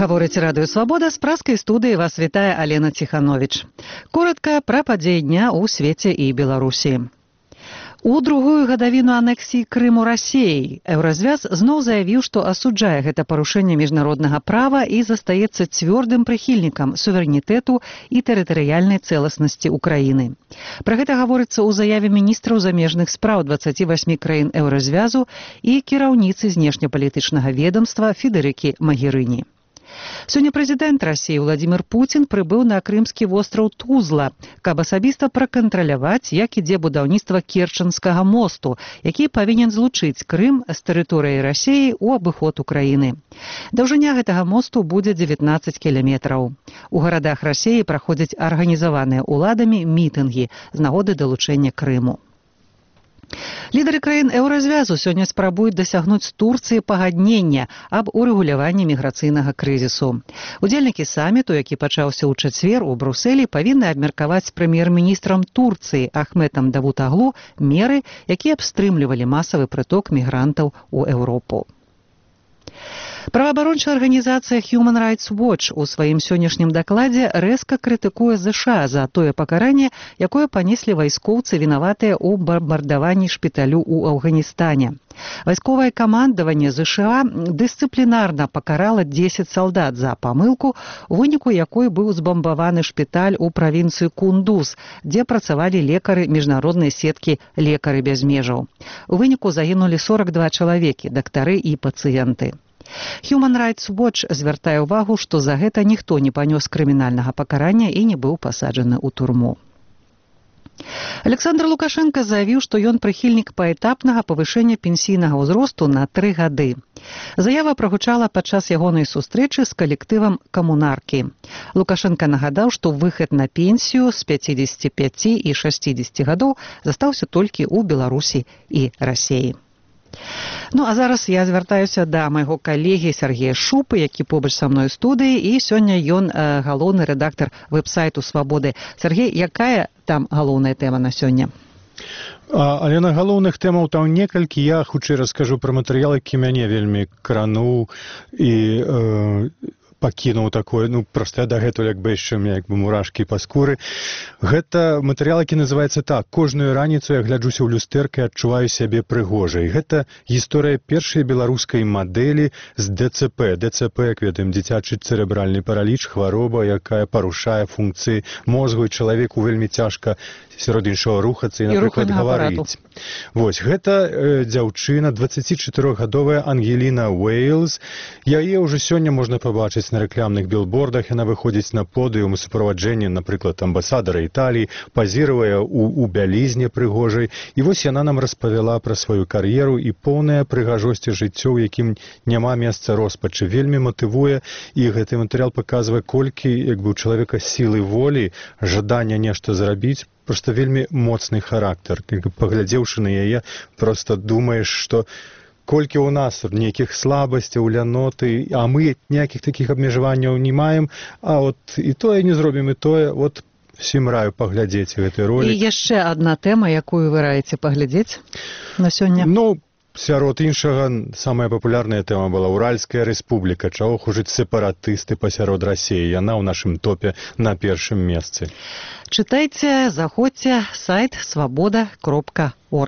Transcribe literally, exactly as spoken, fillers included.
Гаворыць Радыё Свабода, з праскай студыі вас вітае Алена Ціхановіч. Коратка пра падзеі дня ў свеце і Беларусі. У другую гадавіну анексіі Крыму Расіяй Еўразвяз зноў заявіў, што асуджае гэта парушэнне міжнароднага права і застаецца цвёрдым прыхільнікам суверэнітэту і тэрытарыяльнай цэласнасці Украіны. Пра гэта гаворыцца ў заяве міністраў замежных спраў дваццаці васьмі краін Еўразвязу і кіраўніцы знешнепалітычнага ведамства Федэрыкі Магерыні. Сёння прэзідэнт Расіі Владзімір Пуцін прыбыў на крымскі востраў Тузла, каб асабіста пракантраляваць, як ідзе будаўніцтва Керченскага мосту, які павінен злучыць Крым з тэрыторыяй Расіі ў абыход Украіны. Даўжыня гэтага мосту будзе дзевятнаццаць кіламетраў. У гарадах Расіі праходзяць арганізаваныя ўладамі мітынгі з нагоды далучэння Крыму. Лідары краін Еўразвязу сёння спрабуюць дасягнуць з Турцыі пагаднення аб урэгуляванні міграцыйнага крызісу. Удзельнікі саміту, які пачаўся ў чацвер у Брусэлі, павінны абмеркаваць з прэм'ер-міністрам Турцыі Ахметам Давутаглу меры, якія б стрымлівалі масавы прыток мігрантаў у Еўропу. Праваабарончая арганізацыя Human Rights Watch у сваім сённяшнім дакладзе рэзка крытыкуе ЗША за тое пакаранне, якое панеслі вайскоўцы, вінаватыя ў бамбардаванні шпіталю ў Афганістане. Вайсковае камандаванне ЗША дысцыплінарна пакарала дзесяць салдат за памылку, у выніку якой быў збамбаваны шпіталь у правінцыі Кундуз, дзе працавалі лекары міжнароднай сеткі «Лекары без межаў». У выніку загінулі сорак два чалавекі, дактары і пацыенты. Human Rights Watch звяртае ўвагу, што за гэта ніхто не панёс крымінальнага пакарання і не быў пасаджаны ў турму. Александр Лукашенко заявіў, што ён прыхільнік паэтапнага павышэння пенсійнага ўзросту на тры гады. Заява прагучала падчас ягонай сустрэчы з калектывам «Камунаркі». Лукашенко нагадаў, што выхад на пенсію з пяцідзесяці пяці і шасцідзесяці гадоў застаўся толькі ў Беларусі і Расіі. Ну, а зараз я звяртаюся да майго калегі Сергея Шупы, які побач са мной у студыі, і сёння ён э, галоўны рэдактар вэб-сайту «Свабоды». Сергей, якая там галоўная тэма на сёння? А, але на галоўных тэмаў там некалькі. Я хутчэй раскажу пра матэрыял, які мяне вельмі крануў і э, пакінуў такое, ну, проста дагэтуль, як бы яшчэ мне, як бы мурашкі па скуры. Гэта матэрыял, які называецца так: «Кожную раніцу я гляджуся ў люстэрка і адчуваю сябе прыгожай». Гэта гісторыя першай беларускай мадэлі з ДЦП. ДЦП, як ведаем, дзіцячы цэрэбральны параліч, хвароба, якая парушае функцыі мозгу, і чалавеку вельмі цяжка сярод іншага рухацца і, напрыклад, гаварыць. Вось, гэта э, дзяўчына, дваццацічатырохгадовая Ангеліна Уэйлз. Яе ўжо сёння можна пабачыць на рэкламных білбордах. Яна выходзіць на подыум у суправаджэнні, напрыклад, амбасадара Італіі, пазіруе у, у бялізне прыгожай. І вось яна нам распавяла пра сваю кар'еру і поўная прыгажосці жыццё, у якім няма месца роспачы. Вельмі матывуе, і гэты матэрыял паказвае, колькі, як бы, у чалавека сілы волі, жадання нешта зрабіць, проста вельмі моцны характар. Паглядзеўшы на яе, проста думаеш, што колькі ў нас нейкіх слабасцяў, ляноты, а мы ніякіх такіх абмежаванняў не маем, а от і тое не зробім, і тое, от всім раю паглядзець гэты ролик. І яшчэ адна тэма, якую вы раіце паглядзець на сёння? Ну, сярод іншага, самая папулярная тэма была Уральская рэспубліка. Чаго хужыць сепаратысты пасярод Расіі? Яна ў нашым топе на першым месцы. Чытайце, заходзьце, сайт свабода кропка орг.